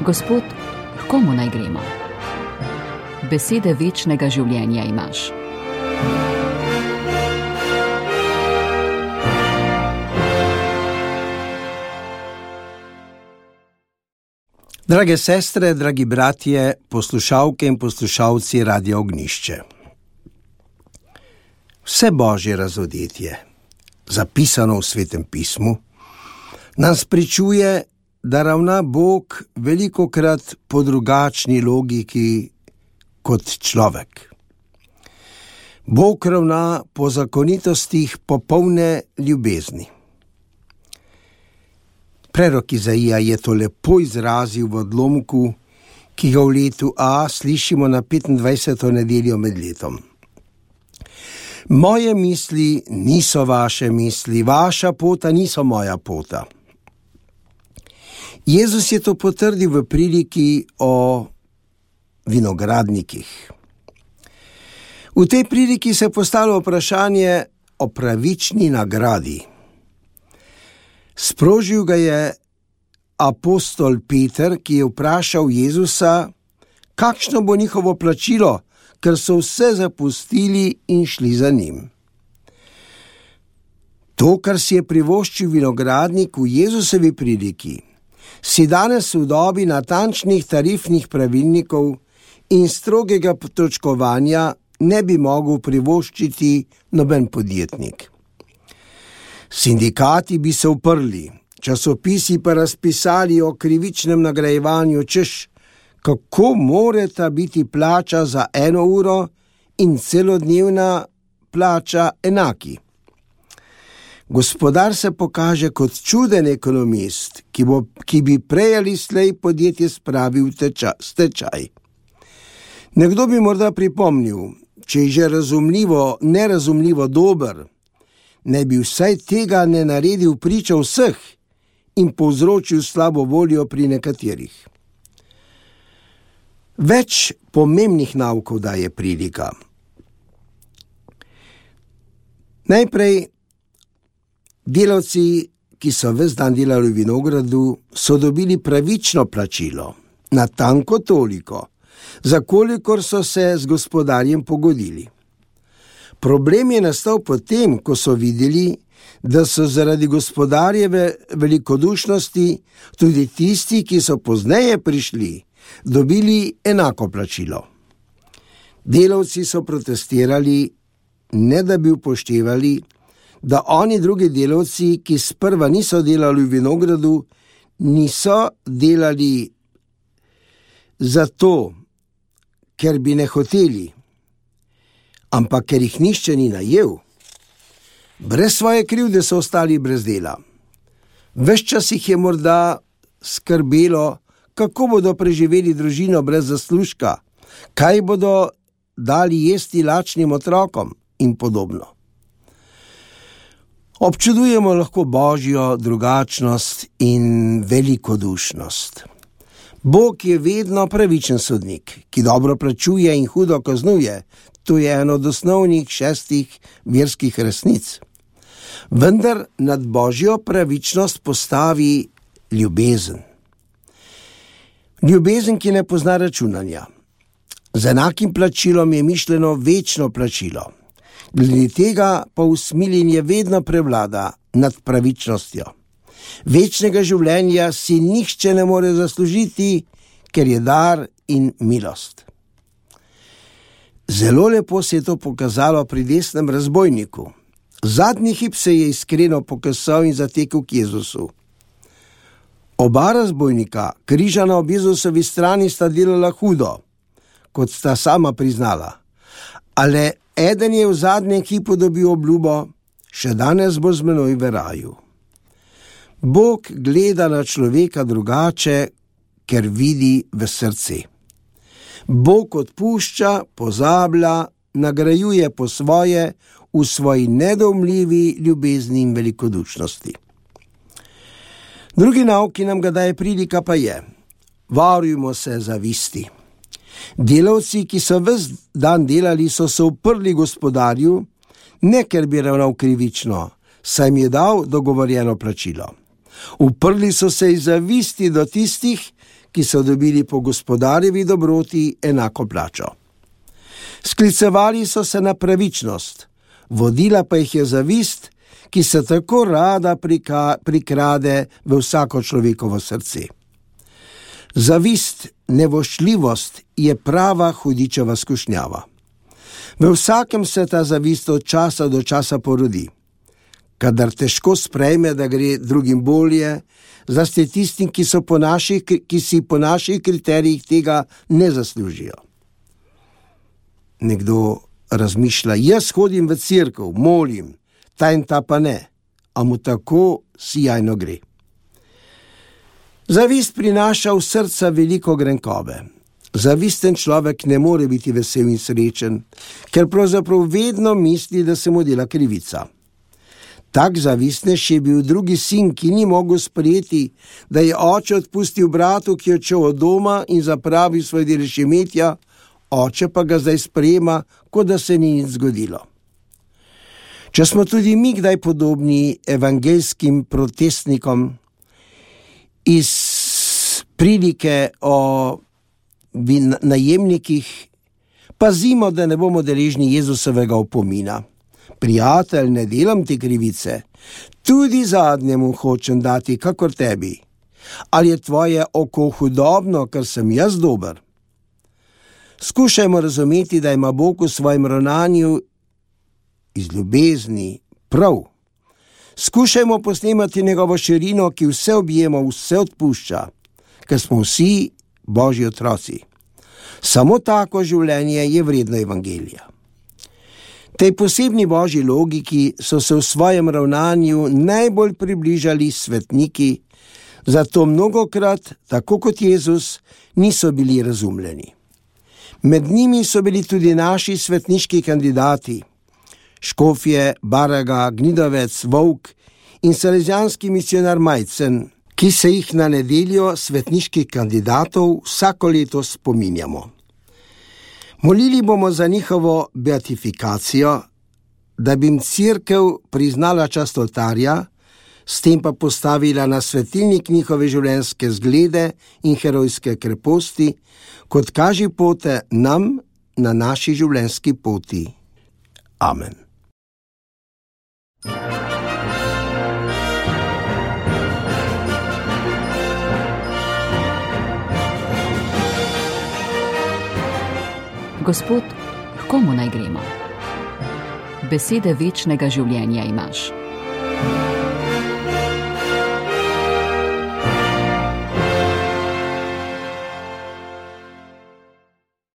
Gospod, h komu naj gremo? Besede večnega življenja imaš. Drage sestre, dragi bratje, poslušalke in poslušalci Radia Ognjišče. Vse Božje razodetje, zapisano v Svetem pismu, nam spričuje, da ravna Bog velikokrat po drugačni logiki kot človek. Bog ravna po zakonitostih popolne ljubezni. Prerok Izaija je to lepo izrazil v odlomku, ki ga v letu A slišimo na 25. nedeljo med letom. Moje misli niso vaše misli, vaša pota niso moja pota. Jezus je to potrdil v priliki o vinogradnikih. V tej priliki se postavlja vprašanje o pravični nagradi. Sprožil ga je apostol Peter, ki je vprašal Jezusa, kakšno bo njihovo plačilo, ker so vse zapustili in šli za njim. To, kar si je privoščil vinogradnik v Jezusovi priliki, si danes v dobi natančnih tarifnih pravilnikov in strogega točkovanja ne bi mogel privoščiti noben podjetnik. Sindikati bi se uprli, časopisi pa razpisali o krivičnem nagrajevanju, češ, kako morata biti plača za 1 uro in celodnevna plača enaki. Gospodar se pokaže kot čuden ekonomist, ki bi prej ali slej podjetje spravil v stečaj. Nekdo bi morda pripomnil, če je že nerazumljivo dober, ne bi vsaj tega ne naredil priča vseh in povzročil slabo voljo pri nekaterih. Več pomembnih naukov daje prilika. Najprej, delavci, ki so ves dan delali v vinogradu, so dobili pravično plačilo, natanko toliko, za kolikor so se z gospodarjem pogodili. Problem je nastal potem, ko so videli, da so zaradi gospodarjeve velikodušnosti tudi tisti, ki so pozneje prišli, dobili enako plačilo. Delavci so protestirali, ne da bi upoštevali, da oni drugi delavci, ki sprva niso delali v vinogradu, niso delali zato, ker bi ne hoteli, ampak ker jih nihče ni najel. Brez svoje krivde so ostali brez dela. Ves čas jih je morda skrbelo, kako bodo preživeli družino brez zaslužka, kaj bodo dali jesti lačnim otrokom in podobno. Občudujemo lahko Božjo drugačnost in velikodušnost. Bog je vedno pravičen sodnik, ki dobro plačuje in hudo kaznuje. To je eno od osnovnih 6 verskih resnic. Vendar nad Božjo pravičnost postavi ljubezen. Ljubezen, ki ne pozna računanja. Z enakim plačilom je mišljeno večno plačilo. Glede tega pa usmiljenje vedno prevlada nad pravičnostjo. Večnega življenja si nihče ne more zaslužiti, ker je dar in milost. Zelo lepo se je to pokazalo pri desnem razbojniku. Zadnji hip se je iskreno pokasal in zatekel k Jezusu. Oba razbojnika, križa na ob Jezusovi strani, sta delala hudo, kot sta sama priznala. Ale eden je v zadnjem hipu dobil obljubo, še danes bo z menoj v raju. Bog gleda na človeka drugače, ker vidi v srce. Bog odpušča, pozablja, nagrajuje po svoje v svoji nedoumljivi ljubezni in velikodušnosti. Drugi nauk, ki nam ga daje prilika, pa je: varujmo se zavisti. Delavci, ki so ves dan delali, so se uprli gospodarju, ne ker bi ravnal krivično, saj jim je dal dogovorjeno plačilo. Uprli so se iz zavisti do tistih, ki so dobili po gospodarjevi dobroti enako plačo. Sklicevali so se na pravičnost, vodila pa jih je zavist, ki se tako rada prikrade v vsako človekovo srce. Zavist, nevoščljivost je prava hudičeva skušnjava. V vsakem se ta zavist od časa do časa porodi. Kadar težko sprejme, da gre drugim bolje, zlasti tistim, ki si po naših kriterijih tega ne zaslužijo. Nekdo razmišlja, jaz hodim v cerkev, molim, ta in ta pa ne, a mu tako sijajno gre. Zavist prinaša v srca veliko grenkobe. Zavisten človek ne more biti vesel in srečen, ker pravzaprav vedno misli, da se mu dela krivica. Tak zavistnež je bil drugi sin, ki ni mogel sprejeti, da je oče odpustil bratu, ki je odšel od doma in zapravil svoj delež imetja, oče pa ga zdaj sprejema, kot da se ni nič zgodilo. Če smo tudi mi kdaj podobni evangeljskim protestnikom iz prilike o najemnikih, pazimo, da ne bomo deležni Jezusovega opomina. Prijatelj, ne delam ti krivice, tudi zadnjemu hočem dati, kakor tebi. Ali je tvoje oko hudobno, ker sem jaz dober? Skušajmo razumeti, da ima Bog v svojem ravnanju iz ljubezni prav. Skušajmo posnemati njegovo širino, ki vse objema, vse odpušča, ker smo vsi Božji otroci. Samo tako življenje je vredno evangelija. Tej posebni Božji logiki so se v svojem ravnanju najbolj približali svetniki, zato mnogokrat, tako kot Jezus, niso bili razumljeni. Med njimi so bili tudi naši svetniški kandidati, Škofje, Baraga, Gnidovec, Volk in salezijanski misionar Majcen, ki se jih na nedeljo svetniških kandidatov vsako leto spominjamo. Molili bomo za njihovo beatifikacijo, da bi jim cerkev priznala čast oltarja, s tem pa postavila na svetilnik njihove življenjske zglede in herojske kreposti, kot kaži pote nam na naši življenjski poti. Amen. Gospod, h komu naj gremo? Besede večnega življenja imaš.